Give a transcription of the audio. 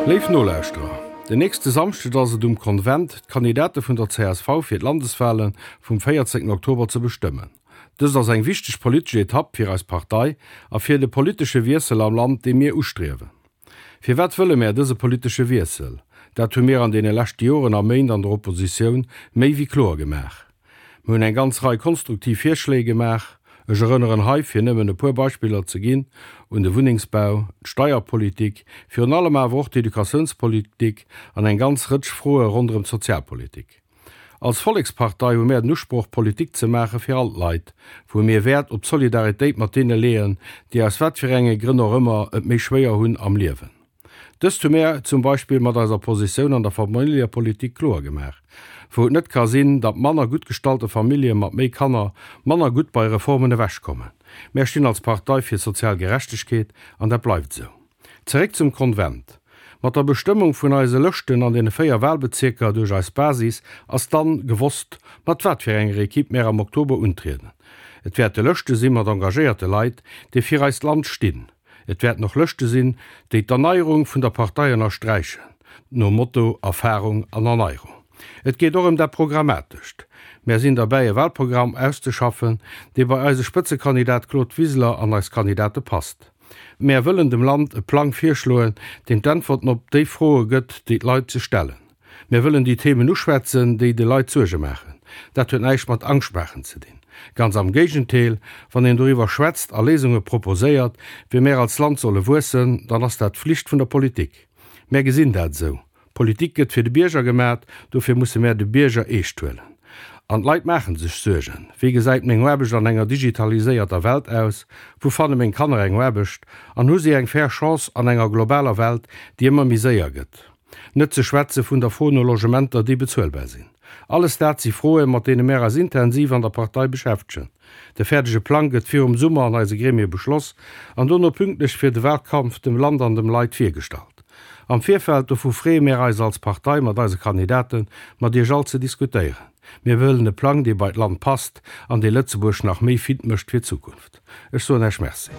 Léif Nolauschterer, den nächste Samschdeg ass et um Konvent, d'Kandidate vun der csv fir d'Landeswale vum 14 Oktober ze bestëmmen. Dëst ass eng wichteg politesch Etapp fir eis Partei a fir de politesche Wiessel am Land, dee mir ustriewen. Firwat wëlle mär dëse politesche Wiessel? Dat hu mir an deene leschte Joren a Méint an der Oppositioun méi wéi kloer gemaach. Mir hunn eng ganz Rei konstruktiv Virschléi gemaach. Ech erënneren hei, fir nëmmen e puer Beispiller ze ginn, un de Wunnengsbau, d'Steierpolitik, virun allem awer och d'Educatiounspolitik an eng ganz Rëtsch Froe ronderëm d'Sozialpolitik. Als Vollekspartei hu mär den Usproch, Politik ze maache fir all d'Leit, wou mir Wäert op d'Solidaritéit mat deene leeën, déi aus wat fir enge Grënn och ëmmer et méi schwéier hunn am Liewen. Dëst hu mär zum Beispill mat eiser Positioun an der Familljepolitik kloer gemaach, wou et net ka sinn, datt manner gutt gestallte Famillje mat méi Kanner manner gutt bei Reformen ewechkommen. Mär stinn als Partei fir sozial Gerechtegkeet an dat bleift esou. Zeréck zum Konvent. Mat der Bestëmmung vun eise Lëschten an deene 4 Wahlbezierker duerch eis Basis ass dann gewosst, mat wat fir enger Equipe mär am Oktober untrieden. Et wäerte Lëschte si mat engagéierte Leit, déi fir eist Land stinn. Et wäerten och Lëschte sinn, déi d'Erneierung vun der Partei ënnersträichen, nom Motto Erfahrung an Erneierung. Et geet och ëm dat Programmatescht. Mär sinn derbäi e Wahlprogramm auszeschaffen, dee bei eise Spëtzekandidat Claude Wiseler an eis Kandidate passt. Mär wëllen dem Land e Plang virschloen, deen d'Äntwerten op déi Froe gëtt, déi d'Leit sech stellen. Mär wëllen déi Themen uschwätzen, déi de Leit Suerge maachen. Dat huet näischt mat Angscht maachen ze dinn. Ganz am Géigentéel, wann een doriwwer schwätzt a Léisunge proposéiert, wéi mär als Land solle wuessen, dann ass dat d'Flicht vun der Politik. Mär gesinn dat esou. Politik gëtt fir de Bierger gemat, dofir musse mär de Bierger eescht huelen. An d'Leit maachen sech Suergen, Wéi gesäit meng Aarbecht an enger digitaliséierter Welt aus? Wou fanne meng Kanner eng Aarbecht? An hu si eng fair Chance an enger globaler Welt, déi ëmmer méi séier gëtt? Net ze schwätze vun der Fro no Logementer, déi bezuelbar sinn. Alles dat si Froen, mat deene mär eis intensiv an der Partei beschäftegen. De fäerdege Plang gëtt virum Summer an eise Gremie beschloss an dono pünktlech fir de Wahlkampf dem Land an dem Leit virgestallt. Am Virfeld dovu freeë mär eis als Partei mat eise Kandidaten, mat Iech all ze diskutéieren. Mir wëllen e Plang, dee bei d'Land passt an dee Lëtzebuerg nach méi fit mécht fir d'Zukunft. Ech soen Äech Merci.